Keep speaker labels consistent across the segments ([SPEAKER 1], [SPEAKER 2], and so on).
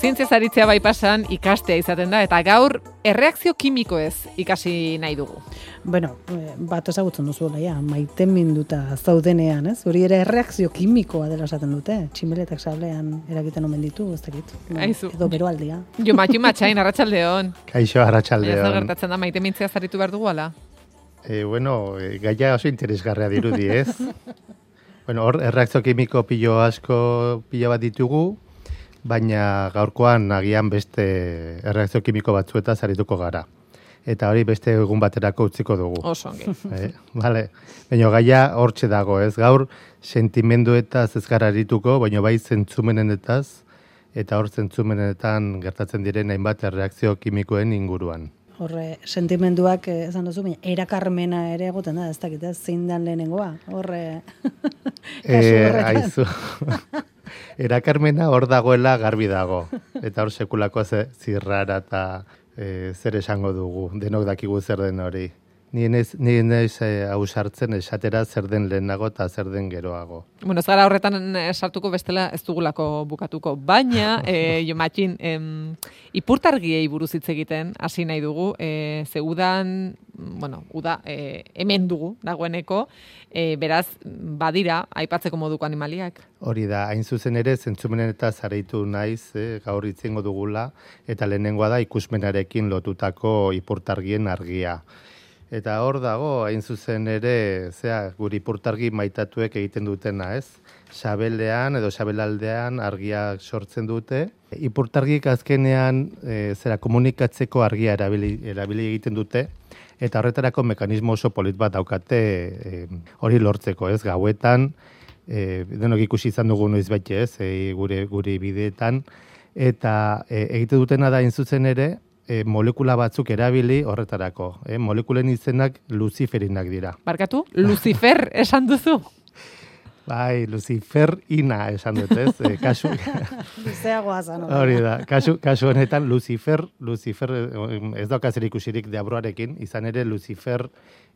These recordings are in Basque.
[SPEAKER 1] zientziaz aritzea bai pasan ikastea izaten da, eta gaur erreakzio kimikoez ikasi nahi dugu.
[SPEAKER 2] Bueno, bat ezagutzen duzu, maite minduta zaudenean, ez? Hori ere erreakzio kimikoa dela esaten dute. Tximeletak sablean eragiten omen ditu, ez dakit. Edo beroaldia.
[SPEAKER 1] Jo, matxain, arratsaldeon.
[SPEAKER 3] Kaixo, arratsaldeon.
[SPEAKER 1] Ez gertatzen da, maite mintzeaz aritu behar dugu, ala?
[SPEAKER 3] Gaia oso interesgarria dirudi, ez? Hor, erreakzio kimiko pilo bat ditugu, baina gaurkoan agian beste erreakzio kimiko batzuetaz arituko gara. Eta hori beste egun baterako utziko dugu.
[SPEAKER 1] Oso ongi.
[SPEAKER 3] Vale. Baina gaia hortxe dago, ez? Gaur sentimenduetaz ez gara arituko, baina bai zentzumenetaz, eta hor zentzumenetan gertatzen diren hainbat erreakzio kimikoen inguruan.
[SPEAKER 2] Horre, sentimenduak, esan duzu, baina erakarmena ere egoten da, ez dakit, zein dan lehenengoa, horre, kasu horretan.
[SPEAKER 3] Aizu. Erakarmena hor dagoela garbi dago, eta hor sekulako zirrara eta zer esango dugu, denok dakigu zer den hori. Ni naiz ausartzen esatera zer den lehenago eta zer den geroago.
[SPEAKER 1] Bueno, ez gara horretan sartuko bestela ez dugulako bukatuko, baina, jo matxin, ipurtargiei buruz hitz egiten hasi nahi dugu, zeudan, uda, hemen dugu dagoeneko, beraz, badira, aipatzeko moduko animaliak.
[SPEAKER 3] Hori da, hain zuzen ere, zentzumenen eta zareitu naiz, gaur itzengo dugula, eta lehenengoa da ikusmenarekin lotutako ipurtargien argia. Eta hor dago, hain zuzen ere, guri ipurtargi maitatuek egiten dutena, ez? Sabelean edo sabelaldean argiak sortzen dute. Ipurtargik azkenean komunikatzeko argia erabili egiten dute, eta horretarako mekanismo oso polit bat daukate hori lortzeko, ez? Gauetan, denok ikusi izan dugu noiz baite, ez? Gure bideetan, eta egite dutena da hain zuzen ere, molekula batzuk erabili horretarako. Molekulen izenak luziferinak dira.
[SPEAKER 1] Barkatu, Lucifer esan duzu?
[SPEAKER 3] Bai, Luciferina esan dut, ez? Kasu...
[SPEAKER 2] Luzeagoa zan.
[SPEAKER 3] Hori da, kasu honetan Lucifer ez daukazer ikusirik deabroarekin, izan ere Lucifer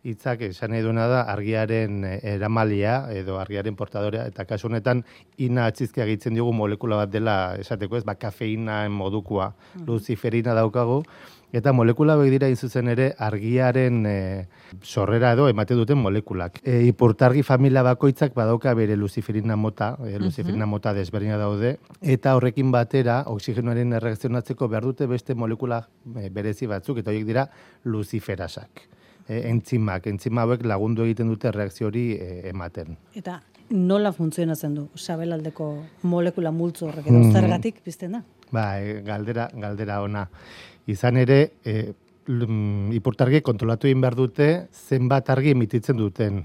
[SPEAKER 3] hitzak esan nahi duena da argiaren eramalia edo argiaren portadorea, eta kasu honetan ina atzizkia gehitzen diogu molekula bat dela esateko, ez? Kafeina modukua, luciferina daukagu, eta molekula hauek dira zuzen ere argiaren sorrera edo emate duten molekulak. Ipurtargi familia bakoitzak badauka bere luciferina mota, luciferina mota desberdina daude, eta horrekin batera oxigenoaren erreakzionatzeko behar dute beste molekula berezi batzuk, eta horiek dira luciferasak. Entzima hauek lagundu egiten dute erreakzio hori ematen.
[SPEAKER 2] Eta nola funtzionatzen du sabelaldeko molekula multzo horrek edo zergatik pizten da?
[SPEAKER 3] Galdera ona. Izan ere, ipurtargi kontrolatu egin behar dute zenbat argi emititzen duten,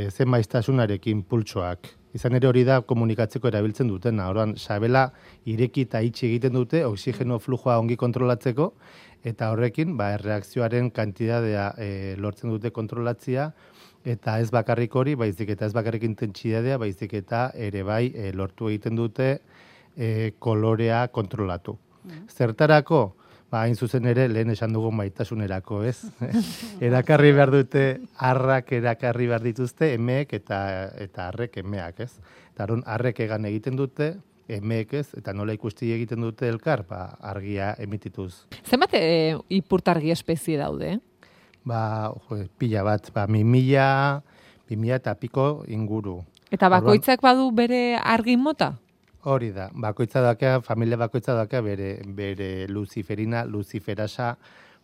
[SPEAKER 3] zen maiztasunarekin pultsoak. Izan ere hori da komunikatzeko erabiltzen dutena. Orduan, sabela ireki eta itxi egiten dute, oxigeno flujoa ongi kontrolatzeko, eta horrekin, erreakzioaren kantidadea lortzen dute kontrolatzia, eta ez bakarrik hori, baizik eta ez bakarrik intentsidadia, baizik eta ere bai lortu egiten dute kolorea kontrolatu. Zertarako? Hain zuzen ere, lehen esan dugu maitasunerako, ez? Erakarri behar dute, arrak erakarri behar dituzte, emeek eta arrek emeak, ez? Eta arrek egan egiten dute, emeek ez, eta nola ikusti egiten dute elkar, argia emitituz.
[SPEAKER 1] Zenbat ipurtargi espezie daude?
[SPEAKER 3] Pila bat, 2000 eta piko inguru.
[SPEAKER 1] Eta bakoitzak badu bere argi mota?
[SPEAKER 3] Hori da, familia bakoitza daka bere luciferina, luciferasa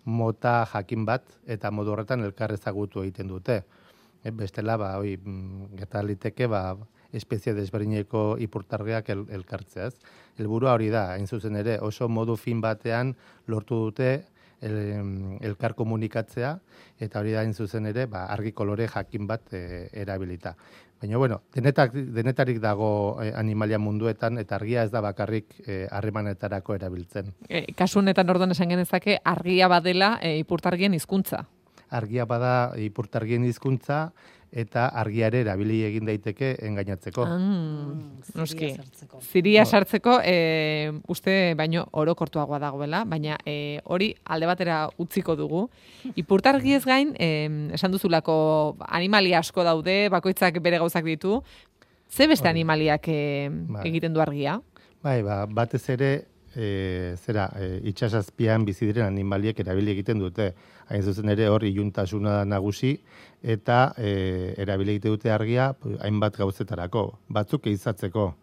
[SPEAKER 3] mota jakin bat, eta modu horretan elkar ezagutu egiten dute. Bestela, gertaliteke, espezie desberdineko ipurtargiak elkartzeaz. Helburua hori da, hain zuzen ere, oso modu fin batean lortu dute elkar komunikatzea, eta hori da hain zuzen ere, argi kolore jakin bat erabilita. Baina, denetarik dago animalia munduetan, eta argia ez da bakarrik harremanetarako erabiltzen.
[SPEAKER 1] Kasu honetan orduan esan genezake, argia badela ipurtargien hizkuntza.
[SPEAKER 3] Argia bada ipurtargien hizkuntza, eta argiare erabili egin daiteke engainatzeko.
[SPEAKER 1] Noski. Ziria sartzeko uste baino orokortuagoa dagoela, baina hori alde batera utziko dugu. Ipurtargiez gain, esan duzulako animalia asko daude, bakoitzak bere gauzak ditu. Ze beste animaliak egiten du argia?
[SPEAKER 3] Batez ere itxasazpian bizi diren animaliek erabili egiten dute. Hain zuzen ere hor iluntasuna da nagusi eta erabili egiten dute argia hainbat gauzetarako. Batzuk ehizatzeko,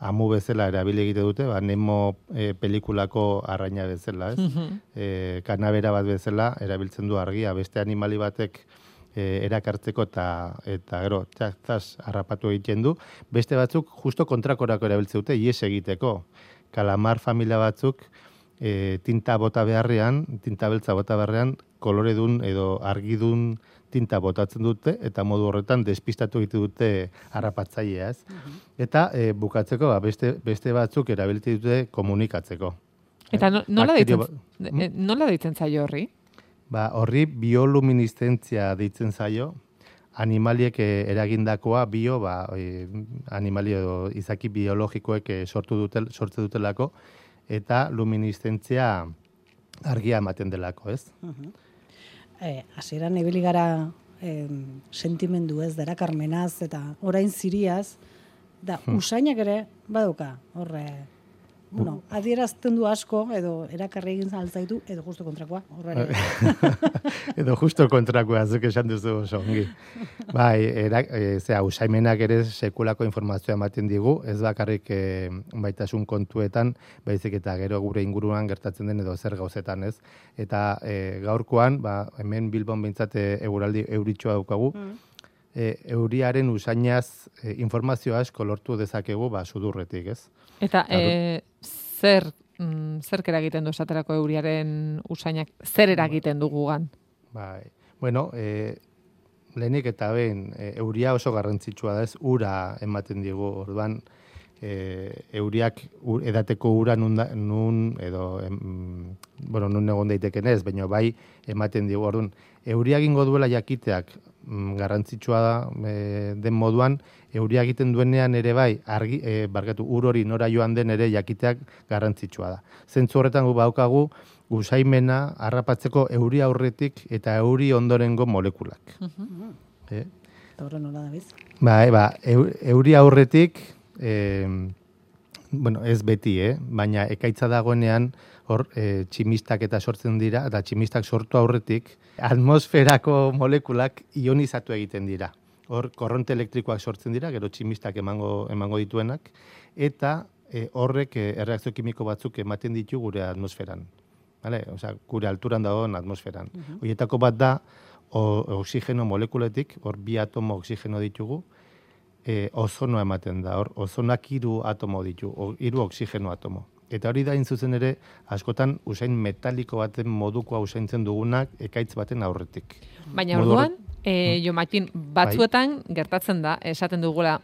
[SPEAKER 3] amu bezala erabili egite dute, Nemo pelikulako arraina bezala, ez? Kanabera bat bezala erabiltzen du argia, beste animali batek erakartzeko eta gero txas harrapatu egiten du. Beste batzuk justo kontrakorako erabiltzen dute, ies egiteko. Kalamar familia batzuk tinta beltza bota beharrean, koloredun edo argidun tinta botatzen dute, eta modu horretan despistatu egite dute harrapatzailea, ez? Eta bukatzeko, beste batzuk erabiltzen dute komunikatzeko.
[SPEAKER 1] Eta nola deitzen zaio horri?
[SPEAKER 3] Horri bioluminiszentzia deitzen zaio, animaliek eragindakoa animali edo izaki biologikoek sortu dutelako, eta luminiszentzia argia ematen delako, ez?
[SPEAKER 2] Hasieran ibili gara sentimendu ez, darakarmenaz eta orain ziriaz, da usainak ere baduka, horre, adierazten du asko, edo erakarri egin altzaitu, edo justo kontrakoa, horre.
[SPEAKER 3] Edo justo kontrakoa, zuk esan duzu oso ongi. Usaimenak ere sekulako informazioa ematen digu, ez bakarrik baitasun kontuetan, baizik eta gero gure inguruan gertatzen den edo zer gauzetan, ez? Eta gaurkoan, hemen Bilbon behintzat eguraldi euritxoa daukagu, euriaren usainaz informazio asko lortu dezakegu sudurretik, ez?
[SPEAKER 1] Eta zer eragiten du esaterako euriaren usainak, zer eragiten du gugan?
[SPEAKER 3] Lehenik eta behin, euria oso garrantzitsua da, ez, ura ematen digu, orduan, euriak edateko ura nun egon daiteken ez, baina bai ematen digu, orduan, euria egingo duela jakiteak garrantzitsua da den moduan, euria egiten duenean ere bai, ur hori nora joan den ere jakiteak garrantzitsua da. Zentzu horretan gu baukagu, usaimena harrapatzeko euri aurretik eta euri ondorengo molekulak.
[SPEAKER 2] Eta horren nola da biz?
[SPEAKER 3] Euri aurretik, ez beti, baina ekaitza dagoenean, hor tximistak eta sortzen dira, eta tximistak sortu aurretik, atmosferako molekulak ionizatu egiten dira. Hor korronte elektrikoak sortzen dira, gero tximistak emango dituenak, eta horrek erreakzio kimiko batzuk ematen ditu gure atmosferan. Gure alturan dagoen atmosferan. Horietako bat da, oxigeno molekuletik, hor 2 atomo oxigeno ditugu, ozonoa ematen da, hor ozonak 3 atomo ditu, 3 oxigeno atomo. Eta hori da zuzen ere, askotan usain metaliko baten modukoa usaintzen dugunak ekaitz baten aurretik.
[SPEAKER 1] Baina orduan, Jomatin, batzuetan gertatzen da, esaten dugula,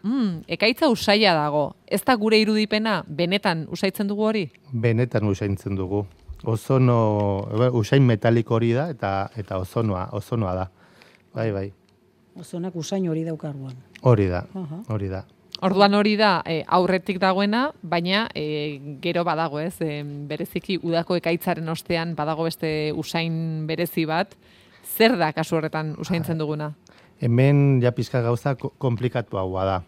[SPEAKER 1] ekaitza usaila dago, ez da gure irudipena, benetan usaitzen dugu hori?
[SPEAKER 3] Benetan usaintzen dugu. Usain metaliko hori da, eta ozonoa da. Bai.
[SPEAKER 2] Ozonak usain hori daukarruan.
[SPEAKER 3] Hori da.
[SPEAKER 1] Orduan hori da aurretik dagoena, baina gero badago, ez? Bereziki udako ekaitzaren ostean badago beste usain berezi bat. Zer da kasu horretan usaintzen duguna?
[SPEAKER 3] Hemen ja pizka gauza komplikatuagoa da.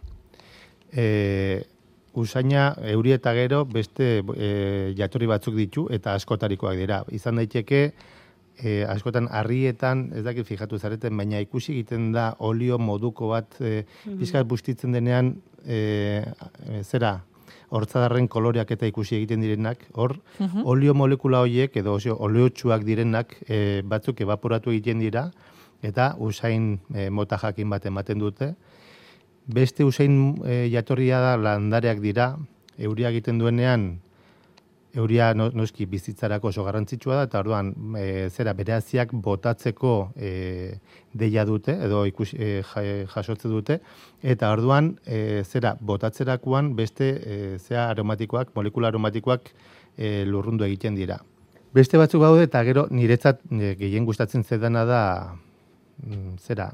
[SPEAKER 3] Usaina euri eta gero beste jatorri batzuk ditu eta askotarikoak dira. Izan daiteke askotan harrietan, ez dakit fijatu zareten, baina ikusi egiten da olio moduko bat pizkat bustitzen denean hortzadarren koloreak eta ikusi egiten direnak, hor olio molekula horiek edo oleotsuak direnak batzuk evaporatu egiten dira eta usain mota jakin bat ematen dute. Beste usain jatorria da landareak dira, euria egiten duenean, euria noski bizitzarako oso garrantzitsua da, eta orduan bereaziak botatzeko deia dute, edo jasotze dute, eta orduan botatzerakoan beste aromatikoak, molekula aromatikoak lurrundu egiten dira. Beste batzuk baude, eta gero niretzat gehien gustatzen zedana da,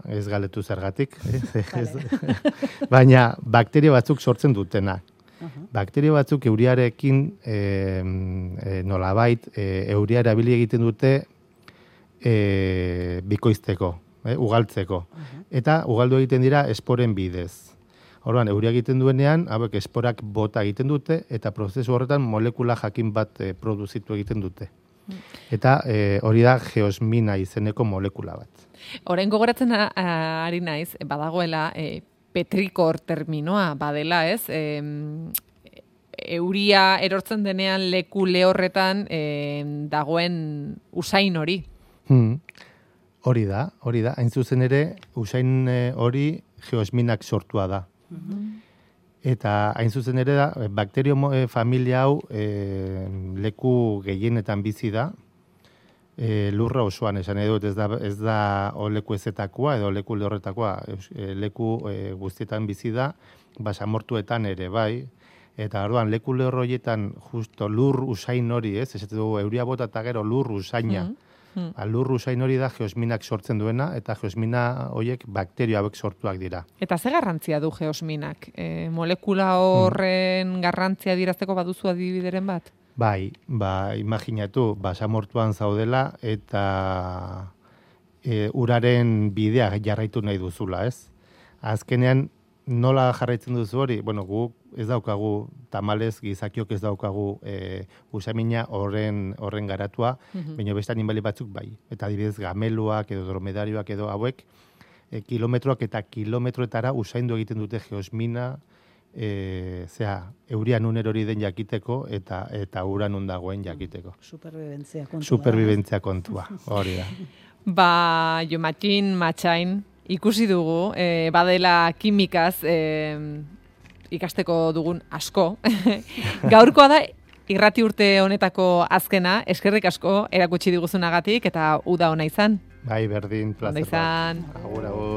[SPEAKER 3] ez galetu zergatik, baina bakterio batzuk sortzen dutenak. Bakterio batzuk euriarekin nolabait euria erabili egiten dute bikoizteko, ugaltzeko. Eta ugaldu egiten dira esporen bidez. Orduan, euria egiten duenean, hauek esporak bota egiten dute, eta prozesu horretan molekula jakin bat produzitu egiten dute. Eta hori da geosmina izeneko molekula bat.
[SPEAKER 1] Orain gogoratzen ari naiz, badagoela petrikor terminoa badela, ez? Euria erortzen denean leku lehorretan dagoen usain hori.
[SPEAKER 3] Hori da. Hain zuzen ere, usain hori geosminak sortua da. Eta hain zuzen ere da, bakterio familia hau leku gehienetan bizi da, lurra osoan esan edut, ez da leku ezetakoa edo leku lehorretakoa, leku guztietan bizi da, basamortuetan ere bai, eta orduan leku lehor horietan justo lur usain hori, ez dugu euria bota eta gero lur usaina, lur usain hori da geosminak sortzen duena, eta geosmina horiek bakterio hauek sortuak dira.
[SPEAKER 1] Eta ze garrantzia du geosminak? Molekula horren garrantzia dirazteko baduzu adibideren bat?
[SPEAKER 3] Bai, imaginatu, basamortuan zaudela eta uraren bidea jarraitu nahi duzula, ez? Azkenean, nola jarraitzen duzu hori? Bueno, guk ez daukagu, tamalez gizakiok ez daukagu usamina horren garatua, baina beste animali batzuk bai. Eta adibidez gameluak edo dromedarioak edo hauek, kilometroak eta kilometroetara usaindu egiten dute geosmina, euria nun erori den jakiteko eta ura nun dagoen jakiteko. Superbibentzia kontua. Hori da.
[SPEAKER 1] Jomatxin, Matxain, ikusi dugu, badela kimikaz ikasteko dugun asko. Gaurkoa da irrati urte honetako azkena, eskerrik asko erakutsi diguzunagatik eta uda ona izan.
[SPEAKER 3] Bai, berdin, plazer.
[SPEAKER 1] Ondo izan.
[SPEAKER 3] Agur, agur.